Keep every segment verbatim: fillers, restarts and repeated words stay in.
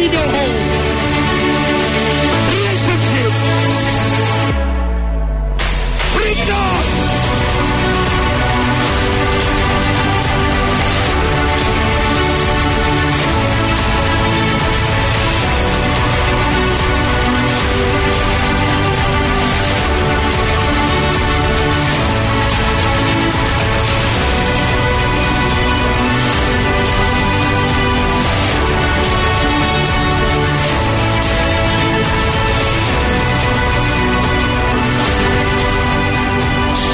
Your home. Relationship. Freedom.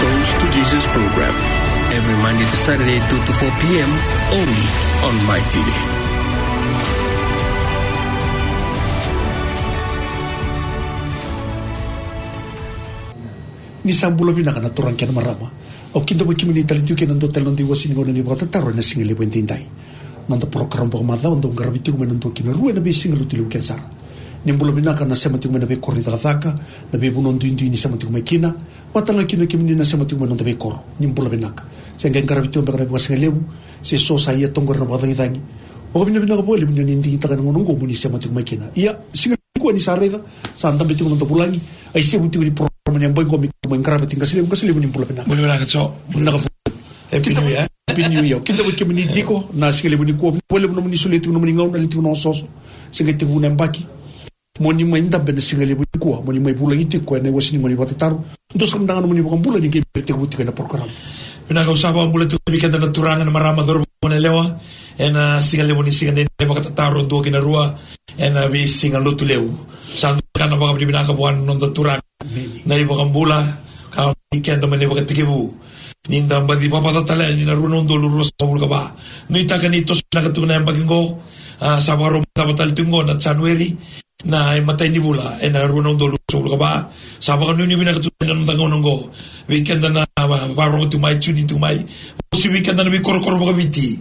Souls to Jesus program, every Monday to Saturday, two to four p.m., only on Mai T V. Ni sa bula vinaka na turaga kei na marama. Au kidavaki kemuni tale tiko kina dua tale na noda iwasewase ni gauna ni vakatataro ena siga levu edaidai. Noda porokaramu vakamacawa dau qaravi tiko mai na dua ki na rua ena veisiga Lotulevu kece sara. Ni bula vinaka na sema tiko mai na veikoro ni cakacaka, na veivanua duidui ni sema tiko mai kina, vata na kina kemuni na sema tiko mai na noda veikoro. Ni bula vinaka. Se qai qaravi tiko beka na veivakasigalevu, se so sa ia toqori na vakacagicagi. Vakavinavinaka vakalevu ni o ni digitaka na gauna oqo mo ni sema tiko mai kina. Ia, siga nikua ni sa raica, sa dabe tiko na noda vulagi, isevu tiko ni porokaramu ni yabaki qo me mai qarava tiko. Qase levu, qase levu, ni bula vinaka. Bula vinaka, Jo. Bula vinaka. Happy New Year. Happy New Year. Kidavaki kemuni tiko na siga levu nikua. Vinaka vakalevu nomuni solia tiko nomuni gauna, levu tiko na osooso. Se qai tekivu na yabaki. Mo ni mai dabe ena siga levu nikua, mo ni mai vulagi tiko ena iwasewase ni gauna ni vakatataro. Dou sa mada ga nomuni vakabula ni qai mai tekivu tiko ena porokaramu. Vinaka, au sa vakabula tiko vei keda na turaga, na marama, cauravou, goneyalewa, ena siga levu ni siga ni vakatataro dua ki na rua ena veisiga Lotulevu. Sa dua na ka na vakavinavinaka vua na noda Turaga na iVakabula, ka vei keda mai na ivakatekivu. Ni da baci vavaca tale yani na rua na udolu ruasagavulu ka va. Nuitaka ni toso vinaka tu na yabaki qo, a, sa vakarau mai cava tale tu qo na January, na imatai ni vula ena rua na udolu ruasagavulu ka va. Sa vakanuinui vinaka tu na noda gauna qo. Vei keda na va-, vakarorogo tu mai, tune in tu mai. Vosa vei keda na veikorokoro vakaviti.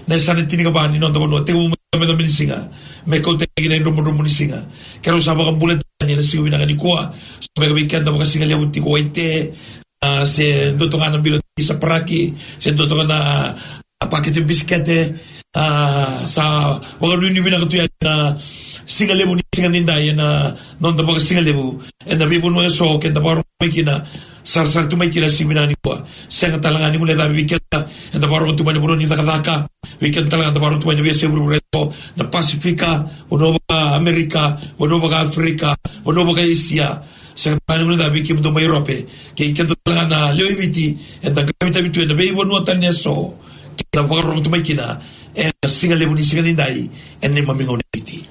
Na yasana tinikava ni noda vanua, tekivu mai na cabecabece ni siga me kauta ki na idrobodrobo ni siga. Keirau sa vakabula tiko yani ena siga vinaka nikua. So beka vei keda vakasigalevu tiko Waite, a, se dua toka na bilo ni saparaki, se dua toka na, a, pakete bisikete, a, sa vakanuinui vinaka tu yani na siga levu ni siga nidai ena noda vakasigalevu ena veivanua eso keda vakarorogo mai kina, sarasara tu mai kina siga vinaka nikua. Sega tale ga ni guilecavi vei keda eda vakarorogo tu mai na vanua ni cakacaka, vei keda tale ga eda vakarorogo tu mai na veiyasai vuravura eso, na Pasifika, vanua vaka Amerika, vanua vaka Afrika, vanua vaka Esia. Sega tale ga ni guilecavi vei kemudou mai Europe, kei keda tale ga na lewe i Viti eda qaravi tu ena veivanua tani eso keda vakarorogo tu mai kina ena siga levu ni siga nidai ena neimami gauna i Viti.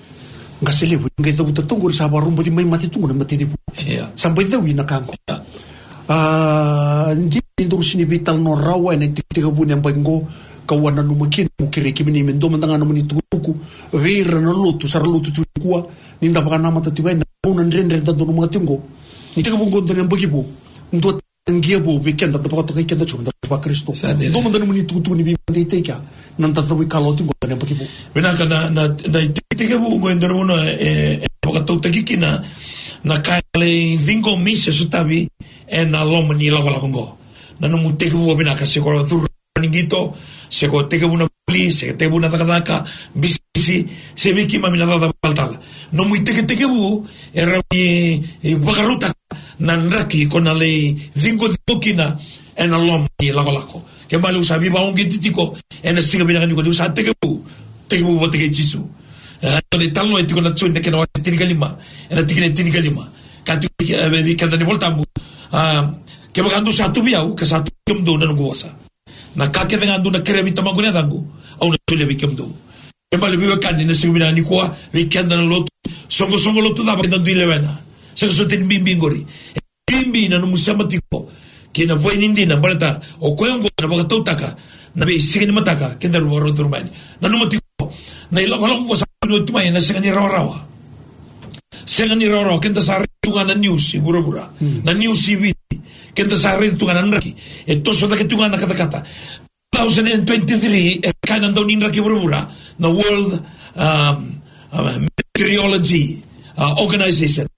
Qase levu, qai cavuta tu qori sa vakaroboci mai mate tu qo na matanivu. Ia. Sa bau cavuti na ka qo. Ia. A, dina ni daru sega ni veitalanoa rawa ena itekitekivu ni yabaki qo, kau a nanuma kina meu kerei kemuni me dua mada ga nomuni tukutuku vei ira na lotu, sa ra lotu tu nikua, ni da vakanamata tiko yani na gauna dredre da donumaka tiko qo. Ni tekivu qo dua na yabaki vou, dua na qia vou vei keda, da vakatokai keda tiko meda vaKarisito. Sa dina. Dua mada nomuni tukutuku ni veivakadeitaki kea na noda cau ikalawa tiko qo na yabaki vou. Vinaka, na, na, na itekitekivu qo e dua na vanua e, e vakatautaki kina na ka e lai ciqomi se sotavi ena loma ni lakolako qo. Na nomu tekivu vinaka, se ko curu ni qito, se ko tekivu na vuli, se tekivu na cakacaka, bisinisi, se vei keimami na cakacaka vakatalatala. Nomu itekitekivu e rawa ni, e vakarautaka na draki ko na lai ciqociqo kina ena loma ni lakolako. Kena ibalebale au sa veivakauqeti tiko ena siga vinaka nikua niu sa tekivu, tekivu vata kei Jisu. E, na italanoa e tiko na Joni na kena wase tinikalima, ena tikina e tinikalima. Ka tiko, e, vei keda na iVolatabu, a, kevaka dou sa tu vei au, ka sa tu vei kemudou na noqu vosa. Na ka kece ga dou na kerea vei Tamaqu ena yacaqu, au na solia vei kemudou. Kena ibalebale veiwekani, na siga vinaka nikua, vei keda na lotu, soqosoqo lotu cava keda dui lewena? Sega soti ni bibi qori. E bibi na nomu sema tiko kei na vua ni dina, baleta o koya oqo ena vakatautaka na veisiga ni mataka kedaru vakarau curu mai yani. Nanuma tiko, na ilakolako oqo sa tu mai ena sega ni rawarawa. Sega ni rawarawa, keda sa raica tu ga na news i vuravura. Hmm. Na news i Viti, keda sa raica tu ga na draki. E toso cake tu ga na katakata. Two thousand and twenty-three, e kaya na daunidraki vuravura, na World, um, um, Meteorology, uh, Organization.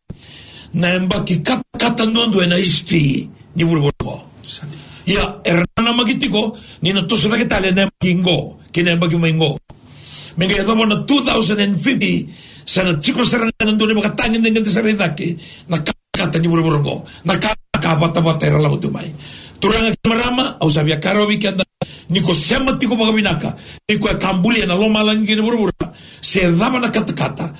Na yabaki katakata duadua ena history ni vuravura qo. Sa dina. Ia, era nanamaki tiko ni na toso cake tale na yabaki qo kei na yabaki mai qo. Me qai yacova na two thousand and fifty, sa na tiko sara ga na dua na ivakatagedegede sara i cake na katakata ni vuravura oqo. Na ka, ka vatavata era lako tu mai. Turaga kei marama, au sa via kaya rawa vei keda, ni ko sema tiko vakavinaka, ni ko e ka bulia na lomalagi kei na vuravura, se cava na katakata,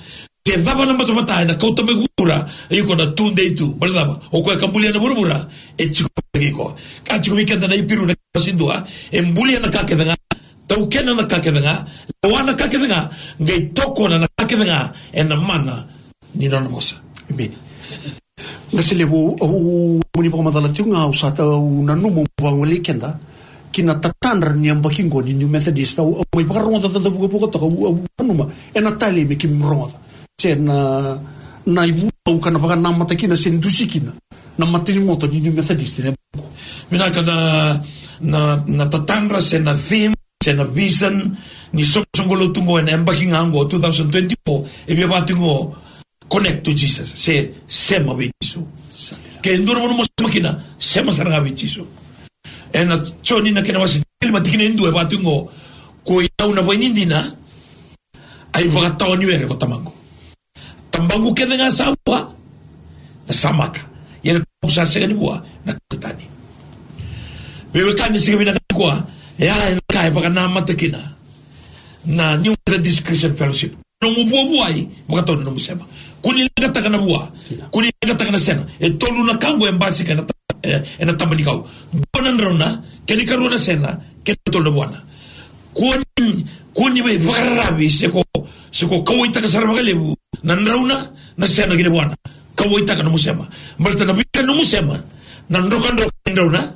se cava na batabata ena kauta mai vuravura, iko na tudei tu. Baleta cava? O koya ka bulia na vuravura e tiko vei iko. Ka tiko vei keda na Iperiu na kena wase dua, e bulia na ka kece ga, taukena na ka kece ga, lewa na ka kece ga, qai tokona na ka kece ga ena mana ni nona vosa. Emeni. Qase levu, au, au, moni vakamacala tiko ga, au sa tau nanuma au vakawalei keda ki na tatadra ni yabaki qo ni New Methodist. Au, au mai vakarogoca caca vukavuka toka, au, au nanuma ena talei me keimami rogoca se na, na ivunau ka na vakanamata kina se dusi kina na matanivotu ni New Methodist ena yabaki qo. Vinaka. Na, na, na tatadra se na theme se na vision ni soqosoqo lotu qo ena yabaki ga qo two thousand twenty-four, e via vaka tiko qo, connect to Jesus, se sema vei Jisu. Ke dua na vanua mo sema kina, sema sara ga vei Jisu. Ena Joni na kena wase tinikaciwa, tikina e dua, e vaka tiko qo, koi au na vaini dina, a ivakatawa ni were ko Tamaqu. Tabaqu kece ga sa vua, na samaka. Ia na Tabaqu sa sega ni vua, na kauta tani. Veiwekani, siga vinaka nikua, e a, ena ka e vakanamata kina na New Methodist Christian Fellowship. Nomu vuavuai, vakatau na nomu sema. Kua ni leqataka na vua, kua ni leqataka na sena. E tolu na ka qo e basika ena ta-, e, ena taba ni kau. Dua na drauna, kena ikarua na sena, kena ikatolu na vuana. Kua ni, kua ni veivakararavi se ko, se ko kauwaitaka sara vakalevu na drauna, na sena kei na vuana. Kauwaitaka nomu sema. Baleta na veika nomu sema, na drokadroka ni drauna,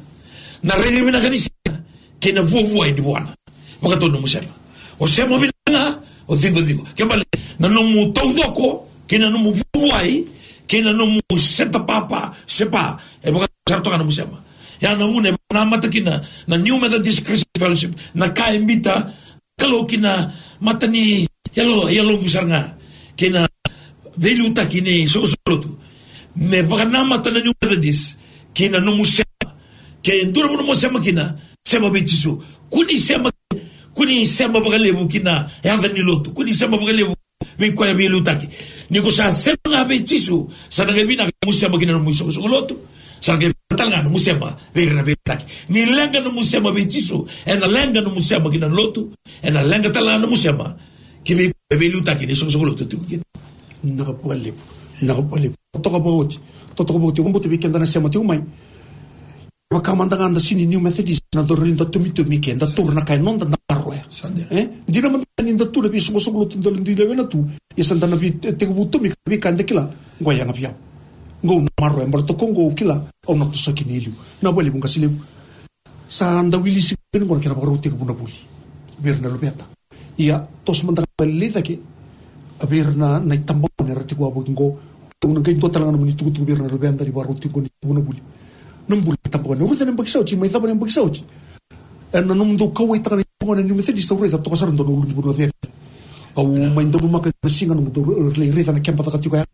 na rairai vinaka ni sena, kei na vuavuai ni vuana. Vakatau nomu sema. O sema vinaka ga, o ciqociqo. Ke bale, na nomu taucoko, kei na nomu vuavuai, kei na nomu seta papa, sepa, e vakatau sara toka nomu sema. Ia na vuna e vakanamata kina na New Methodist Christian Fellowship, na ka e biuta Kalou ki na mata ni yalo, yaloqu sara ga, kei na veiliutaki ni soqosoqo lotu. Me vakanamata na New Methodist ki na nomu sema. Ke dua na vanua mo sema kina, sema vei Jisu. Kua ni sema, kua ni sema vakalevu ki na yaca ni lotu. Kua ni sema vakalevu vei koya veiliutaki. Ni ko sa sema ga vei Jisu, sa na qai vinaka nomu sema ki na nomu isoqosoqo lotu. Sa na qai vinaka tale ga nomu sema vei ira na veiliutaki. Ni leqa nomu sema vei Jisu, ena leqa nomu sema ki na lotu, ena leqa tale ga nomu sema ki vei koya veiliutaki ni soqosoqo lotu tiko kina. Vinaka vakalevu. Vinaka vakalevu. Totoka vakaoti. Totoka vakaoti. Au vakabauta vei keda na sema tiko mai, vaka mada ga da sega ni New Methodist, na dau rai da tomitomi ke da taura na ka e noda, da maroroya. Sa dina. E? Dina mada ga ni da tu na veisoqosoqo lotu da dui lewena tu, ia sa da na vei, e, tekivu tomika na veika eda kila. Qo e yaga vei au. Qo au na maroroya, baleta qo au kila, au na toso kina e liu. Vinaka vakalevu qase levu. Sa da wili sivia ni qo na kena vakarau tekivu na vuli vei ira na luveda. Ia, toso mada ga vakalailai cake vei ira na, na itabagone era tiko wavoki qo. Au na qai dua tale ga nomuni tukutuku vei ira na luveda ni vakarau tiko ni tekivu na vuli. Na bula ni tabagone. Au raica na yabaki sa oti, mai cava na yabaki sa oti. Ena nomudou kauwaitaka na itabagone ni Methodist, au raica toka sara dua na ulunivanua cecere. Au mai donumaka na siga nomudou lai raica na keba caka tiko ya.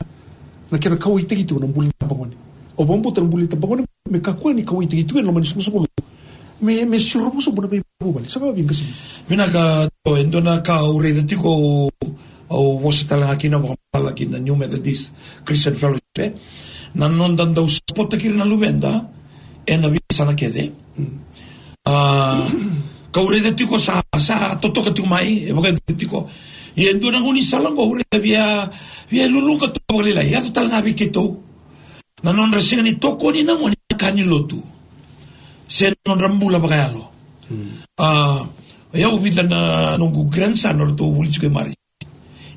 Na kena kauwaitaki tiko na bula ni tabagone. Au vakabauta na bula ni tabagone me kakua ni kauwaitaki tiko ena loma ni soqosoqo lotu. Me, me siro vosa bu na veivuvale. Sa vavega sini. Vinaka, e dua na ka au raica tiko, au vosa tale ga kina, vakamala kina New Methodist Christian Fellowship, e. Na noda dau sapotaki ira na luveda ena veiyasana kece. Mm. A, kau raica tiko sa, sa totoka tiko mai, e vakayaco tiko. Ia e dua na gaunisala qo au raica via, via luluqa toka vakalailai, yaco tale ga vei keitou. Na nodra sega ni tokoni na gone na ka ni lotu. Se na nodra bula vakayalo. Hmm. A, e au vica na noqu grandson o ratou vuli tiko e Mari.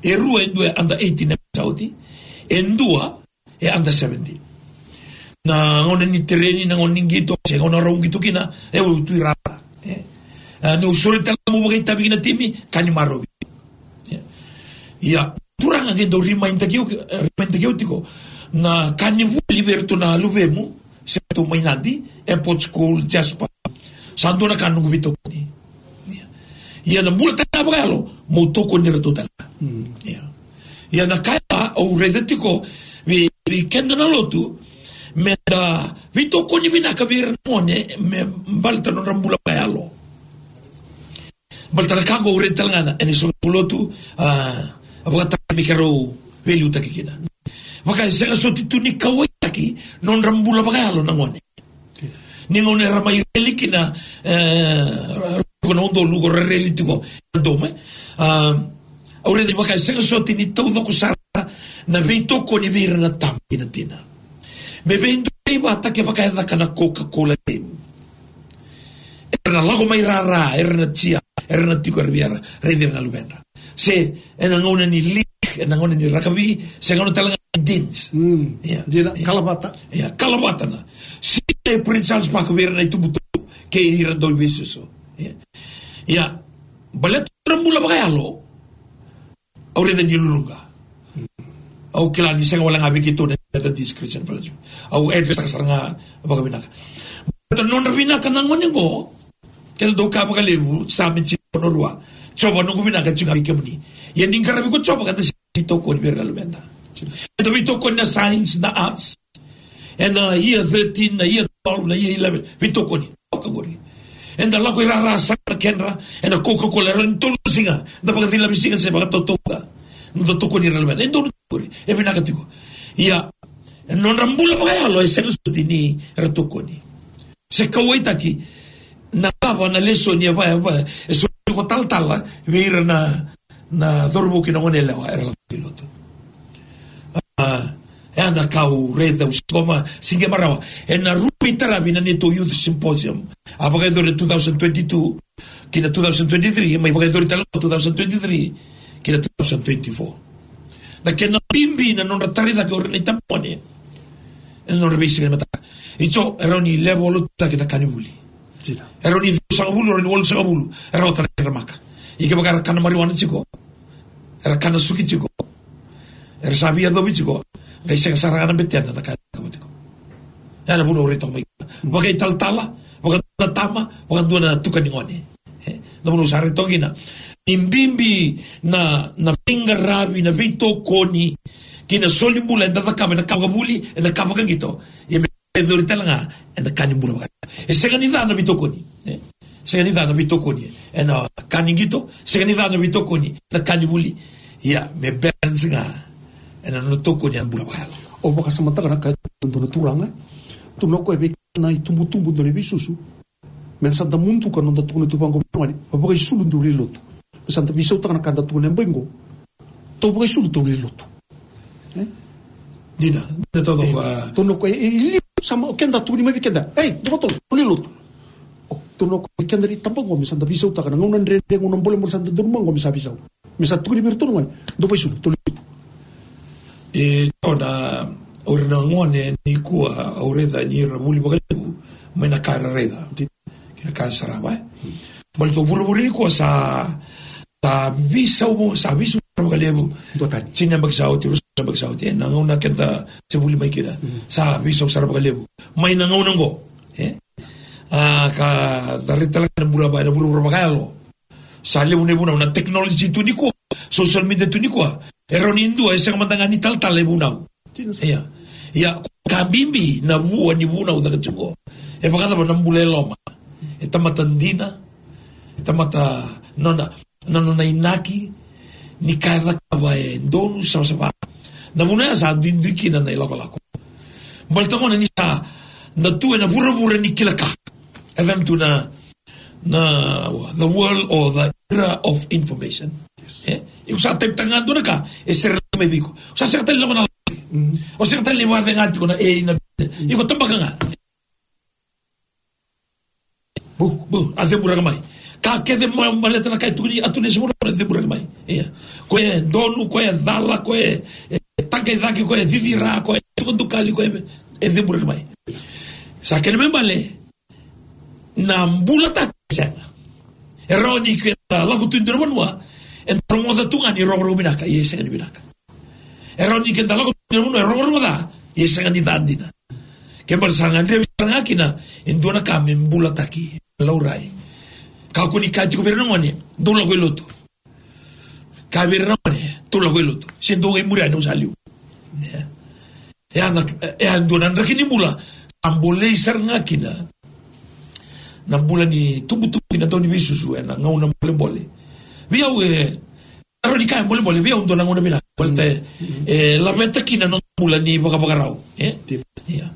E rua, e dua e under eighteen e sa oti. E dua e under seventeen. Na gauna ni tereni, na gauna ni qito, se gauna rau qito kina, e au tu i rara. E. A, niu sore tale meu vakaitavi ki na timi, ka ni marovi. Ia. Ia, turaga qai dau remind-taki au, remind-taki au tiko na ka ni vuli vei iratou na luvemu, se ratou mai Nadi, Airport School, Jasper. Sa dua na ka noqu veitokoni. Ia. Ia na bula tale ga vakayalo, meu tokoni iratou tale ga. Mm. Ia. Ia na ka ya au raica tiko vei, vei keda na lotu, meda veitokoni vinaka vei ira na gone, me baleta nodra bula vakayalo. Baleta na ka qo au raica tale ga na, ena isau ni lotu, a, a vakataki me keirau veiliutaki kina. Vaka e sega soti tu ni kauwaitaki nodra bula vakayalo na gone. Ni gauna era mai reli kina, e, ko na udolu ko ra reli tiko, dome. A, au raica ni vaka e sega soti ni taucoko sara na veitokoni vei ira na tama kei na tina. Me veidonui vata kevaka e caka na Coca-Cola Game. Era na lako mai rara, era na cheer, era na tiko era via raici ira na luvedra. Se ena gauna ni league, ena gauna ni rakavi, se gauna tale ga ni dance. Mm. Ia, dina, ia. Kalavata. Ia, kalavata na. Se e Prince Charles Park vei ira na itubutubu kei ira dau veisusu. Ia. Ia, baleta na bula vakayalo, au raica ni luluqa. Au kila ni sega wale ga vei keitou na Methodist Christian Fellowship. Au address-taka sara ga vakavinaka. Baleta nodra vinaka na gone qo, keda dau kaya vakalevu, sa me tiko na rua. Jiova noqu vinaka tiko ga vei kemuni. Ia ni qaravi ko Jiova ka da sega ni veitokoni vei ira na luveda. Eda veitokoni na science, na arts. Ena year thirteen, na year twelve, na year eleven. Veitokoni. Toka qori. Eda lako i rara sara na kedra, ena Coca-Cola, era ni tolu na siga. Da vakacilavi siga se vakatautauca. Da tokoni ira na luveda. E donu qori. E vinaka tiko. Ia, e nodra bula vakayalo, e sega soti ni ra tokoni. Se kauwaitaki na cava na lesoni e va, e va, e soli ko talatala vei ira na, na cauravou kei na goneyalewa era lako i lotu. A, e a na ka au raica au sikoma, siga marawa. Ena ruku i taravi na neitou Youth Symposium. A vakayacori two thousand twenty-two, ki na two thousand twenty-three, mai vakayacori tale na two thousand twenty-three, ki na two thousand twenty-four. Na kena bibi na nodra tarai cake o ira na itabagone. Ena nodra veisiga ni mataka. Io, e rawa ni level two taki na ka ni vuli. Sida. E rawa ni ciwasagavulu, e rawa ni walusagavulu. E rawa tale na kedra maka. Ia kevaka era kana marijuana tiko. Era kana suki tiko. Era sa via yacovi tiko. Qai sega sara ga na betena na ka e cakava tiko. Ia na vuna au raica mai kina. Vakaitalatala, vakadua na tama, vakadua na tuka ni gone. E, na vuna au sa raica toka kina. Ni bibi na, na veiqaravi, na veitokoni, kei na soli bula, eda cakava, ena ka vakavuli, ena ka vakaqito. Ia me e cori tale ga ena ka ni bula vaka. E sega ni ca na veitokoni. E sega ni ca na veitokoni ena ka ni qito, sega ni ca na veitokoni ena ka ni vuli. Ia, me balance ga ena nona tokoni ena bula vakayalo. O vakasamataka na ka e tukuna na turaga. Tukuna o koya vei keda na itubutubu, dua na iveisusu. Me sa da muduka na noda tukuna tu vaqo, me vakaisulu dou lai lotu. Me sa da veisautaka na ka da tukuna e bai qo. Tou vakaisulu, tou lai lotu. E? Dina, dina taucoko. Tou na ko e, e liu sa mai o keda tukuni mai vei keda. Ei, dou tolu, tou lai lotu. O, tou na ko e keda ni tabagone, me sa da veisautaka na gauna dredre, gauna bolebole sa da donu mai qo, me sa veisau. Me sa tukuni vei iratou na gone, dou vakaisulu, tou lai lotu. E, io na, o ira na gone nikua, au raica ni ra vuli vakalevu mai na ka era raica. Dina. Kei na ka era sarava, e. Baleta o vuravura nikua sa, sa veisau, sa veisau sara vakalevu. Dua tani. Tini na yabaki sa oti, ruasagavulu na yabaki sa oti, e, na gauna keda se vuli mai kina. Mm. Sa veisau sara vakalevu. Mai na gauna qo, e. A, ka da raica tale ga na bula va, na vuravura vakayalo. Sa levu na ivunau, na technology tu nikua, social media tu nikua. E rawa ni dua e sega mada ga ni talatala e vunau. Dina sara. Ia. Ia, ka bibi na vua ni vunau caka tiko. E vakacava na bula e loma. E tamata dina. E tamata nona, na nona inaki. Ni ka e cakava e donu savasava. Na vuna ya sa duidui kina na ilakolako. Baleta gona ni sa da tu ena vuravura ni kila ka. E cava tu na na, the world or the era of information. Yes. E? Iko sa type-taka ga dua na ka, e sere mai vei iko. O sa sega tale ni lako na live. Mm. O sega tale ni vakacega tiko na A I na. Mm. Iko tabaka ga. Bu, bu, a ceburaka mai. Ka kece mai baleta na ka e tukuni, a tukuni se mura, a ceburaka mai. Ia. Ko e donu, ko e cala, ko e, e, taka i cake, ko e cicira, ko e tukadukali, ko e, e ceburaka mai. Sa kena me bale, na bulataki sega. E rawa ni keda lako tu e dua na vanua, eda rogoca tu ga ni rogorogo vinaka, ia e sega ni vinaka. E rawa ni keda lako tu e dua na vanua, e rogorogo ca, ia e sega ni ca dina. Ke bale sa gadrevi sara ga kina e dua na ka me bulataki, laurai. Kakua ni kaya tiko vei ira na gone, dou lako i lotu. Kaya vei ira na gone, dou lako i lotu. Se dou qai muri yani, au sa liu. Ia. E a na, e a dua na draki ni bula sa bolei sara ga kina na bula ni tubutubu kei na dau ni veisusu ena gauna bolebole. Vei au e, na rawa ni kaya bolebole, vei au dua na gauna vinaka. Baleta e, e laveta kina na noda bula ni vakavakarau. E? Ia.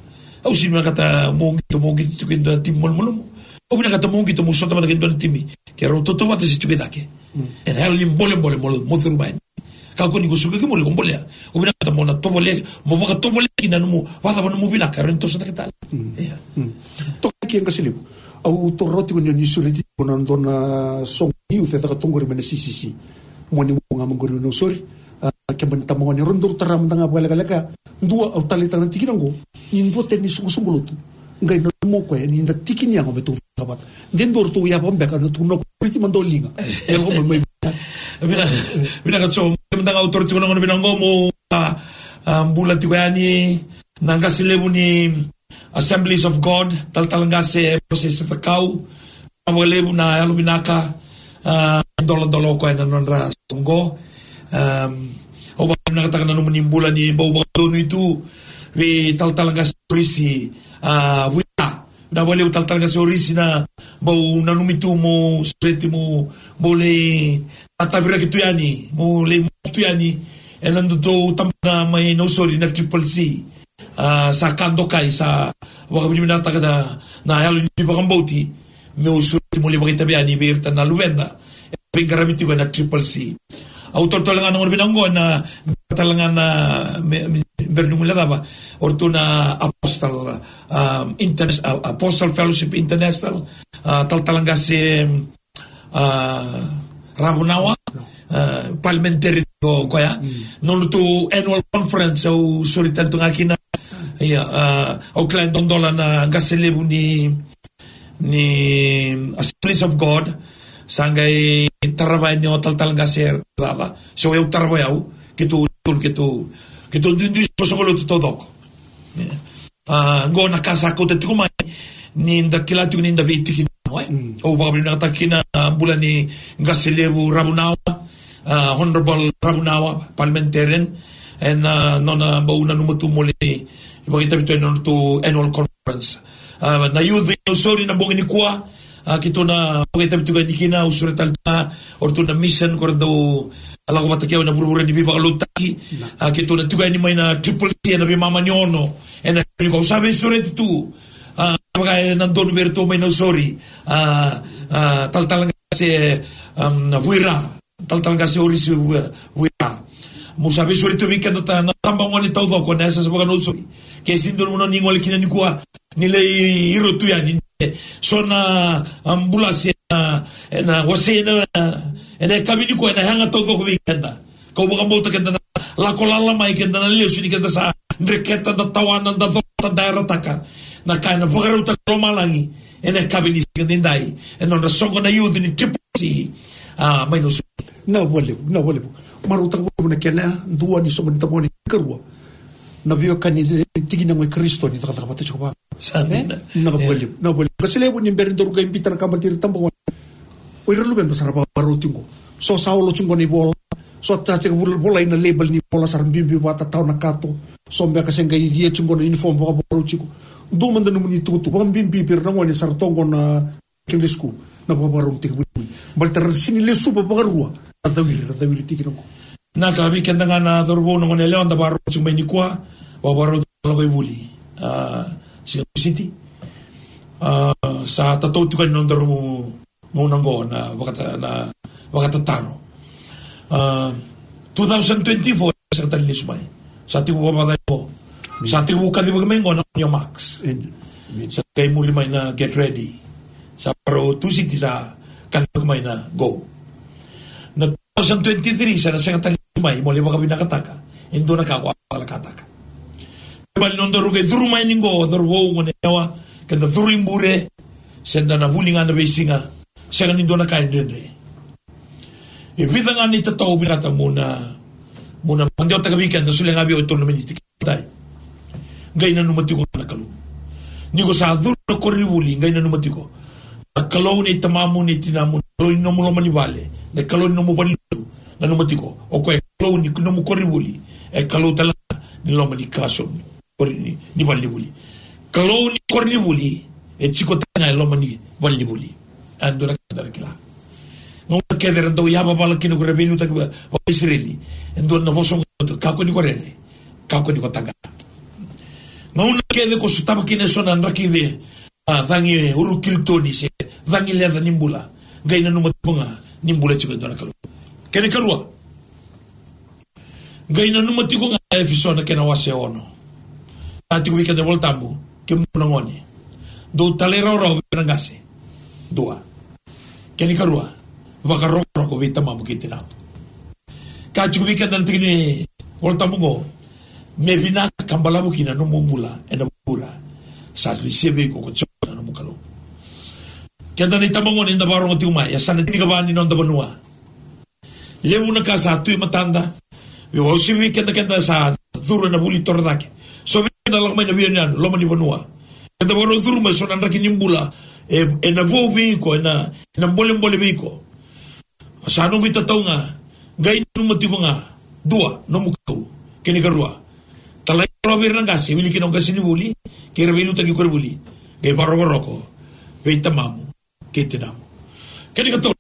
Au sega ni vinakata meu qito, meu qito tu kei dua na timi malumalumu. Au vinakata meu qito meu sota vata kei dua na timi. Keirau tautauvata se tu kei cake. Ena yalo ni bolebole mo, mo curu mai. Kakua ni ko suka ki muri ko bolea. Au vinakata mo na tovolea, mo vakatovolea kina nomu, vakacava nomu vinaka, rawa ni toso cake tale. Ia. Toka ki e qase levu. Au taura tiko ni, ni sureti tiko na dua na soqo ni youth e caka toka qori mai na C C C. Mo ni mo ga mai qori na Nausori. A, keba ni tabagone, rau dau tara mada ga vakalekaleka. Dua au taleitaka na tikina oqo. Ni dua tani ni soqosoqo lotu. Qai nanuma o koya ni da tiki ni yago me tou caka vata. De dua ratou yava beka na tukuna o koya, priti mada o liga. E lako mai mai. Vinaka, vinaka Jo, mada ga au taura tiko na gauna vinaka oqo mo, a, a, bula tiko yani na qase levu ni Assemblies of God, talatala qase Mose Satakau, vakalevu na yalovinaka, a, doladola o koya na nodra soqo. Am, au vakavinakataka na nomuni bula ni bau vakadonui tu vei talatala qase Orisi, a, Vuita. Na vakalevu talatala qase Orisi na bau nanumi tu mo sureti mo bau lai tataviraki tu yani, mo lai mo tu yani ena nodatou tabana mai Nausori na Triple C. A, sa ka dokai, sa vakavinavinakataka na, na yalo ni vakabauti meu sureti mo lai vakaitavi yani vei iratou na luveda e veiqaravi tiko ena Triple C. Au totolo ga na gauna vinaka oqo na, tale ga na, me, me, bera ni gole cava, o ratou na Apostle, um, Interna-, a, Apostle Fellowship International, a, talatala qase, a, Ravunawa, a, parliamentary o koya. Nodratou annual conference au sureti tale tu ga kina. Ia, a, au kila e dodola na qase levu ni, ni Assemblies of God, sa qai tarava yani o talatala qase Ravunawa. So au tarava yani, keitou, keitou, keitou duidui soqosoqo lotu taucoko. Ia. A, qo na ka sa kauta tiko mai, ni da kila tiko ni da veitiki ni yago, e? Au vakavinavinakataka kina na bula ni qase levu Ravunawa, a, Honorable Ravunawa, parliamentarian, ena, a, nona bau nanuma tu mo lai vakaitavi tu ena nodratou annual conference. A, na youth ni Nausori na bogi nikua, a, keitou na vakaitavi tiko yani kina, au sureta tale tu ga, o ratou na mission, ko ra dau, a, lako vata kei au ena vuravura ni veivakalotutaki. A, keitou na tiko yani mai na Triple C ena veimama ni ono. Ena, au sa veisureti tu, a, vaka ena donu vei iratou mai Nausori, a, a, talatala qase, um, Vuira, talatala qase Orisi Vuira. Meu sa veisureti tu vei keda na tabagone taucoko ena yasayasa vaka-Nausori. Ke sega ni dua na vanua ni gole kina nikua, ni lai iro tu yani. So na, um, bula se na, ena wasei ena, ena yakavi nikua ena yaga taucoko vei keda. Kau vakabauta keda na lako lala mai, keda na lesu ni keda sa dreketa, da tawana, da cota, da yarataka na ka ena vakarautaka lomalagi ena yakavi ni siga edaidai ena nodra soqo na youth ni Triple C, a, mai Nausori. Vinaka vakalevu, vinaka vakalevu. Marautaka vakalevu na kena dua ni soqo ni tabagone, karua na veiwekani ni tiki ni yago i Karisito ni cakacaka vata tiko vaka. Sa dina. Vinaka vakalevu, vinaka vakalevu. Qase levu, ni bera ni daru qai biuta na ka baleti ira na tabagone, o ira na luveda sa ra vakarau tiko qo. So sa olo tiko qo na ivola. So sa tekivu volai na label ni vola, sa ra biubiu vata, tawa na kato. So beka se qai ia tiko qo na uniform vakavakarau tiko. Dua mada nomuni itukutuku vakabibi vei ira na gone sa ra tu qo na Sunday school, na vakavakarau ni tekivu ni vuli. Baleta ra sega ni lesuva vakarua, ra cawiri, ra cawiri tiko qo. Vinaka, vei keda ga na cauravou, na gone yalewa da vakarau tiko mai nikua, vakavakarau tiko na lako i vuli. A, Siga Siti. A, sa tatou tiko na nodaru gauna qo na vakata-, na vakatataro. A, two thousand twenty-four, sa ka tale lesu mai. Sa tiko vakavakacava qo. Sa tiko vakacava mai qo na your marks. Amen. Amen. Sa qai muri mai na get ready. Sa vakarau Tusiti sa kacivaki mai na go. Na two thousand twenty-three sa na sega tale mai mo lai vakavinakataka e dua na ka ko a vakalakataka. Baleta ni nodaru qai curu mai ni qo, curu vou, gone yalewa, keda curu i bure, se da na vuli ga na veisiga, sega ni dua na ka e dredre. E vica ga na itatau au vinakata mo na, mo na vakadewataka vei keda, solia ga vei au e tolu na miniti. Matai, qai nanuma tiko ga na Kalou. Ni ko sa curu na koronivuli, qai nanuma tiko. Na Kalou nei tamamu, nei tinamu, na Kalou ni nomu loma ni vale, na Kalou ni nomu valelotu, nanuma tiko. O koya e Kalou ni nomu koronivuli, e Kalou tale ga ni loma ni classroom, kori ni, ni valenivuli. Kalou ni koronivuli, E tiko tale ga e loma ni valenivuli. A dua na ka da kila. Gauna kece era dau yavavala kina ko ira veiliutaki vaka-, vakaIsireli. E dua na vosa oqo, kakua ni ko rere, kakua ni ko taqa. Gauna kece ko sotava kina eso na draki, a, cagi urukilitoni se cagi leca ni bula, qai nanuma tiko ga ni bula tiko e dua na Kalou. Kena ikarua, qai nanuma tiko ga, Efeso na kena wase ono. A tiko vei keda na iVolatabu, kemudou na gone, dou talairawarawa vei ira na qase. Dua. Kena ikarua, vakarokoroko vei tamamu kei tinamu. Ka tiko vei keda na tiki ni iVolatabu oqo, me vinaka ka balavu kina na nomu bula ena vuravura sa lesia vei iko ko Jiova na nomu Kalou. Keda na itabagone eda vakarogo tiko mai, e sa na tinikava ni noda vanua. Levu na ka sa tu e matada. Vei au, se vei keda, keda sa curu ena vuli torocake. So vei keda lako mai na veiyanuyanu, loma ni vanua. Keda vakarau curu mai so na draki ni bula, e, ena vou vei iko, ena, ena bolebole vei iko. Sa noqu itatau ga, qai nanuma tiko ga, dua, nomu Kalou. Kena ikarua, talairawarawa vei ira na qase, wili kina o qasenivuli, kei ira veiliutaki koronivuli. Qai vakarokoroko vei tamamu kei tinamu. Kena ikatolu,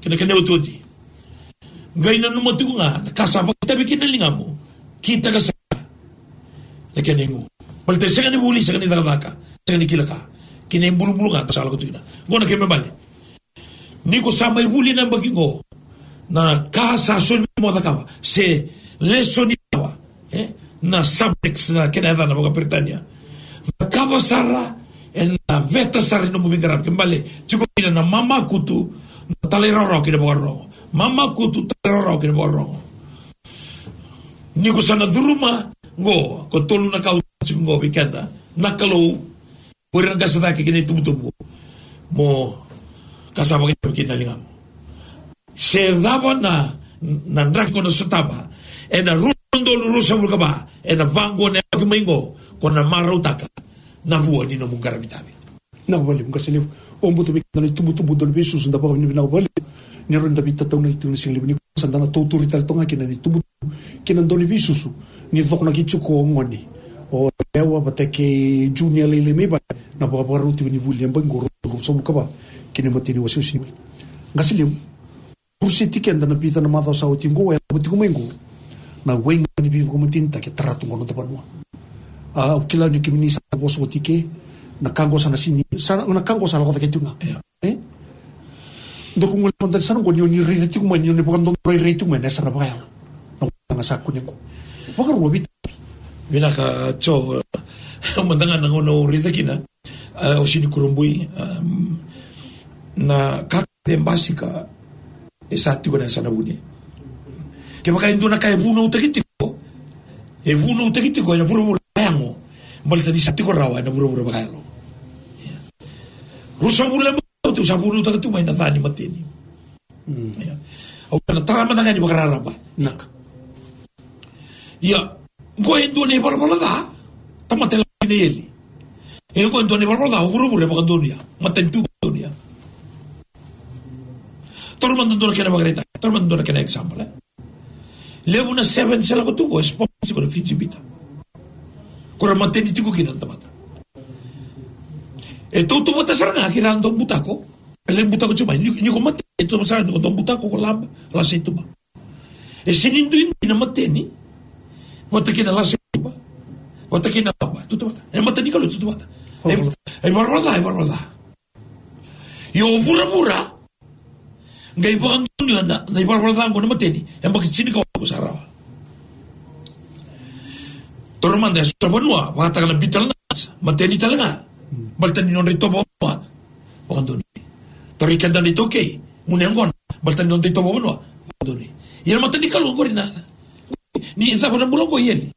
kei na kena iotioti, qai nanuma tiko ga na ka sa vakaitavi kina na ligamu, kitaka sara na kena igu. Baleta e sega ni vuli, sega ni cakacaka, sega ni kila ka, kei na ibulubulu ga sa lako tu kina. Oqo na kena ibalebale. Ni ko sa mai vuli ena yabaki oqo, na ka sa soli mo cakava, se lesoni cava, e, na subjects na kena yacana vakaPeritania. Cakava sara, ena veta sara ni nomu veiqaravi. Kena ibalebale, tiko kina na mamakutu, na talairawarawa kei na vakarorogo. Mamakutu, talairawarawa kei na vakarorogo. Ni ko sa na curuma oqo, ko tolu na ka au tiko oqo vei keda, na Kalou, o ira na qase cake kei na itubutubu, mo ka sa vakaitavi kina na ligamu. Se cava na, na draki ko na sotava ena rua na udolu ruasagavulu ka va, ena vaqo na yabaki mai oqo, ko na marautaka na vua ni nomu qaravi tavi. Vinaka vakalevu, qase levu. Au vakabauta vei keda na itubutubu, dau ni veisusu, da vakavinavinaka vakalevu ni rawa ni da veitataunaki tiko ena sigalevu nikua. Sa da na tauturi tale toka ga kina na itubutubu kei na dau ni veisusu ni cokonaki tiko o gone, o yalewa vata kei junior lailai mai vale, na vakavakarau tiko ni vuli ena yabaki oqo, rua na udolu ruasagavulu ka va, kei na imatai ni wasewase ni vuli. Qase levu, rau seti keda na vica na macawa sa oti oqo, e yacova tiko mai oqo na waiga ni veivakamatenitaki e tara tu oqo na noda vanua. A, au kila ni kemuni sa vosa oti ke, na ka oqo sa na sini, sa na, na ka oqo sa lako cake tiko ga. Io. E? Dou gole mada ni sa na oqo ni o ni raica tiko mai, ni o ni vakadodonu rairai tiko mai na yasana vakayalo. Na ka ga sa kune oqo. Vakarua, Viti. Vinaka, Jo, mada ga na gauna au raica kina, a, au sini kurabui, a, na ka kece e basika, e sa tiko na yasana vuni. Kevaka e dua na ka e vunautaki tiko, e vunautaki tiko ena vuravura vakayago, baleta ni sa tiko rawa ena vuravura vakayalo. Ia. Ruasagavulu na macawa au sa vunautaka tu mai na ca ni mateni. Mm. Ia. Au sa na tara mada ga ni vakararaba. Vinaka. Ia, oqo e dua na ivalavala ca, tamata e lako kina i eli. E oqo e dua na ivalavala ca, o vuravura e vakadonuya, matanitu vakadonuya. Taura mada dua na kena ivakaraitaki, taura mada dua na kena example, e. Levu na sevens e lako tu oqo, e sponsor tiko na Fiji Bitter. Ko ira mateni tiko kina na tamata. E tautauvata sara ga kei ira dau butako. E lai butako tiko mai. Ni, ni ko mateni, e tautauvata sara ga ni ko dau butako, ko laba, lasa i tuba. E sini duidui na mateni vata kei na lasa i tuba, vata kei na laba, tautauvata. E mata ni Kalou, tautauvata. E, e ivalavala ca, e ivalavala ca. Ia o vuravura qai vakadonuya na, na ivalavala ca oqo na mateni, e yabaki tinikawalu sa rawa. Taura mada e so na vanua, vakataka na betel nut, mateni tale ga. Baleta ni nodra itovo vakavanua, vakadonuya. Taura i keda na iTaukei, gunu yaqona, baleta ni nodra itovo vakavanua, vakadonuya. Ia na mata ni Kalou oqori na, ni cava na bula oqo i eli.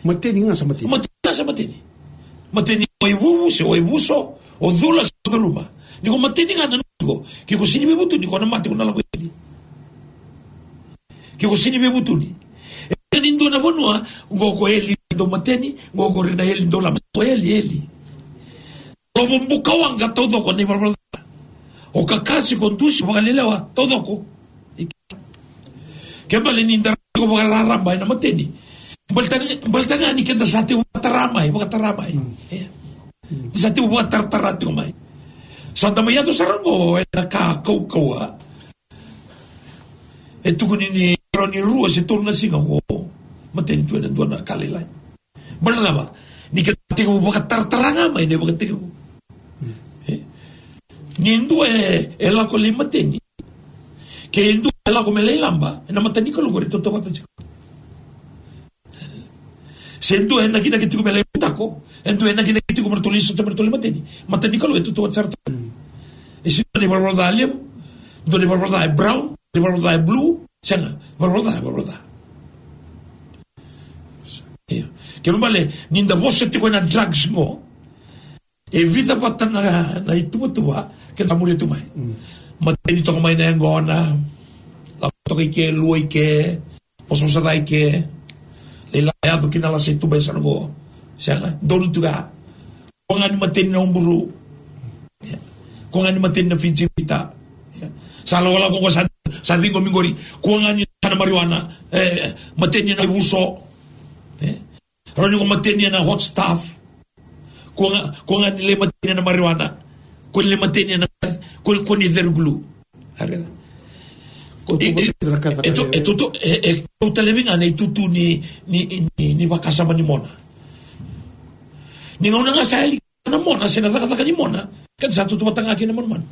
Mateni ga sa mateni. Mateni ga sa mateni. Mateni waivuvu se waivuso, o cula se o curuma. Ni ko mateni ga na nuku, ke ko sini veivutuni, ko na mate, ko na lako i eli. Ke ko sini veivutuni. E sega ni dua na vanua oqo ko eli dau mateni, oqo ko ira na eli dau laba, ko eli, eli. Lovo bukawaqa taucoko na ivalavala ca. O kakase, ko dusi, vakalelewa taucoko. Ke bale ni da raica tiko vakararaba ena mateni. Baleta, baleta ga ni keda sa tiko vakatara mai, vakatara mai. Mm. Ia. Ni sa tiko vakataratara tiko mai. Sa da mai yaco sara qo ena ka kaukauwa. E tukuni ni rawa ni rua se tolu na siga qo mateni tu ena dua na ka lailai. Baleta na cava? Ni keda tekivu vakataratara ga mai na ivakatekivu. E? Ni dua e, e lako lai mateni, ke dua e lako me lai laba, ena mata ni Kalou qori e tautauvata tiko. Se dua e nakinaki tiko me lai butako, e dua e nakinaki tiko me ratou lai sota me ratou lai mateni, mata ni Kalou e tautauvata sara tu. E sega ni valavala ca levu, dua ni valavala ca e brown, ni valavala ca e blue, sega, valavala ca e valavala ca. Io. Kena ibalebale, ni da vosa tiko ena drugs qo, e vica vata na, na ituvatuva keda sa muria tu mai. Mateni toka mai na yaqona, lako toka i ke, lua i ke, vosavosa ca i ke, lai la yaco ki na lasa i tuba e sa na qo. Sega, donu tu ga. Kua ga ni mateni na uburu. Ia. Kua ga ni mateni na Fiji Bitter. Ia. Sa lakolako qo sa, sa ciqomi qori. Kua ga ni sa na marijuana. E, mateni na ivuso. E. Rawa ni ko mateni ena hot stuff. Kua ga, kua ga ni lai mateni ena marijuana. Kua ni lai mateni ena, kua, kua ni ceru glue. Are. Ko tu e, e, mateni na ka, e, e, e, e, e, e, e, e, talevi ga na itutu ni, ni, ni, ni vakasama ni mona. Ni gauna ga sa yali na mona, se na cakacaka ni mona, keda sa tautauvata ga kei na manumanu.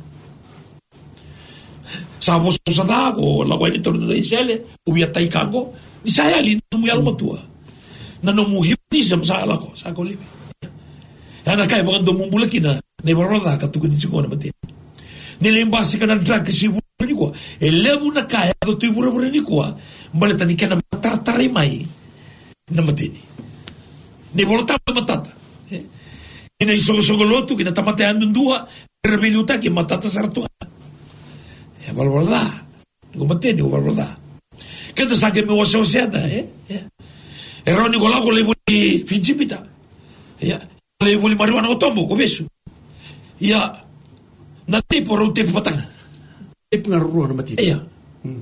Sa vosavosa ca, ko lako yani taura na isele, ko via tai ka qo, ni sa yali na nomu yalomatua. Na nomu humanism sa lako, sa ko livi. Ia na ka e vakadomobula kina na ivalavala ca ka tukuni tiko na mateni. Ni lai basika na drug e vuravura nikua. E levu na ka e yaco tu i vuravura nikua, baleta ni kena vakataratara mai na mateni. Na iVolatabu e matata. E? Kei na isoqosoqo lotu, kei na tamata yadudua, era veiliutaki, e matata sara tu ga. E valavala ca. Ko mateni, ko valavala ca. Keda sa qai mai wasewase eda, e? E. E rawa ni ko lako lai voli Fiji Bitter. Ia. Lai voli marijuana ko tobo, ko vesu. Ia. Na tepu, rau tepu vata ga. Tepu ga rua na mateni. Ia. Mm.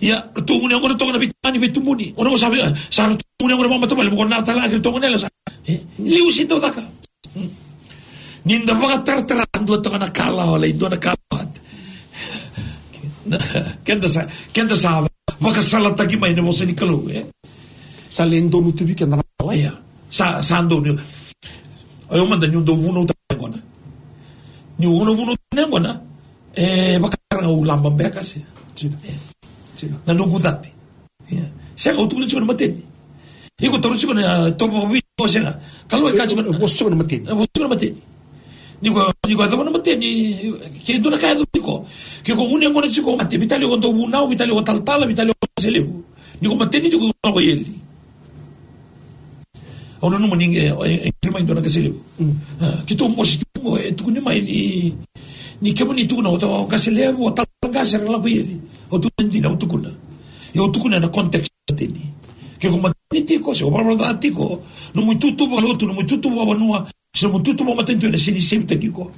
Ia, ratou gunu yaqona toka na veitagane, veitubuni. Gona qo sa vei, sa ratou gunu yaqona vakamatavuvale, mo ko na tala kei ratou gone yalewa sa. E, liu se dau caka. Mm. Ni da vakataratara, dua toka na kalawa, lai dua na kalawa. Na, keda sa, keda sa vakasalataki mai na vosa ni Kalou, e? Sa lai donu tu vei keda na kalawa. Ia. Sa, sa donu. O yau mada niu dau vunautaka na yaqona. Niu vunautaka na yaqona. E, vakatara ga au laba beka se. Sega. E. Sega. Na noqu cati. Ia. Sega, au tukuna tiko na mateni. Iko taura tiko na, a, tovo vakaViti, o sega. Kalou e ka tiko na, e, vosa tiko na mateni. E, vosa tiko na mateni. Ni ko, ni ko yacova na mateni, ke dua na ka e yaco vei iko. Ke ko gunu yaqona tiko, mate, veitalia ko dau vunau, veitalia ko talatala, veitalia ko qase levu. Ni ko mateni tiko, ko lako i eli. Au nanuma ni, e, e, e, mai dua na qase levu. Mm. A, keitou bose tiko, e tukuni mai ni, ni kemuni tukuna o ta, o qase levu, o talatala qase era lako i eli. Au tukuna dina, au tukuna. Ia au tukuna ena context mateni. Ke ko mateni tiko, se ko valavala ca tiko, nomu itutu vakalotu, nomu itutu vakavanua, se nomu itutu vakamatanitu ena sega ni sevitaki iko.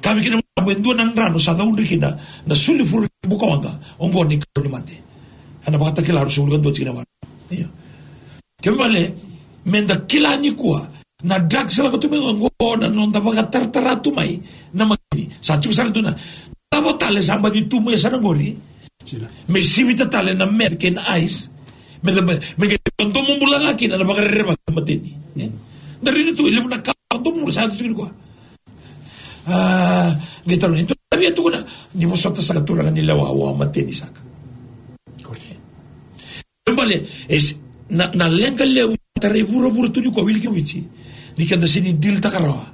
Ka vei kina e dua na drano sa caudre kina na sulifure ni bukawaqa, oqo na ikarua ni mate. Ena Vakatakila ruasagavulu ka dua tikina e walu. Ia. Kena ibalebale, meda kila nikua, na drugs sa lako tu mai oqo, na noda vakataratara tu mai na mateni. Sa tiko sara tu na, cava tale sa baci tu mai sara qori. Sega. Me sivita tale na meth kei na ice. Me, me, me qai domobula ga kina na vakarerevaki na mateni. E? Da raica tu e levu na ka vakadomobula sa yaco tiko nikua. A, qai tarogi, e dua na ka via tukuna, ni vosota saka turaga ni lewa, au a mateni saka. Kena ibalebale, e s-, na, na leqa levu tarai vuravura tu nikua, wili ki Viti, ni keda sega ni dilitaka rawa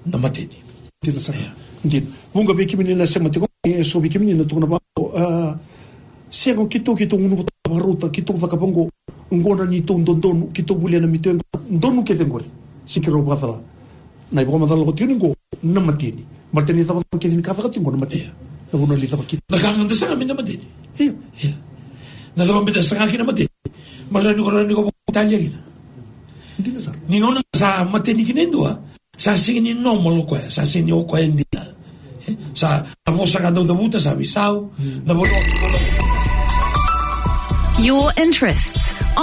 na mateni. Dina sara. Ia. Dina. Vuqa vei kemuni na sema tiko, e so vei kemuni na tukuna vaqo, a, sega, keitou, keitou gunu vata vakarauta, keitou cakava qo, qo na neitou dodonu, keitou volia na meitou yaqona, donu kece qori. Sega ni keirau vakacala. Na ivakamacala lako tiko ni qo, na mateni. Baleta ni cava, cava kece ni ka caka tiko qo na mateni. Ia. Na vanua ni cava kina. Na ka ga da saga mai na mateni. Ia. Ia. Na cava me da saga kina mateni. Baleta ni ko rawa ni ko vakaitalia kina. Dina sara. Ni gauna sa mateni kina e dua, sa sega ni normal o koya, sa sega ni o koya e dina. E, sa na vosa ka dau cavuta sa veisau, na vanua. Your interests.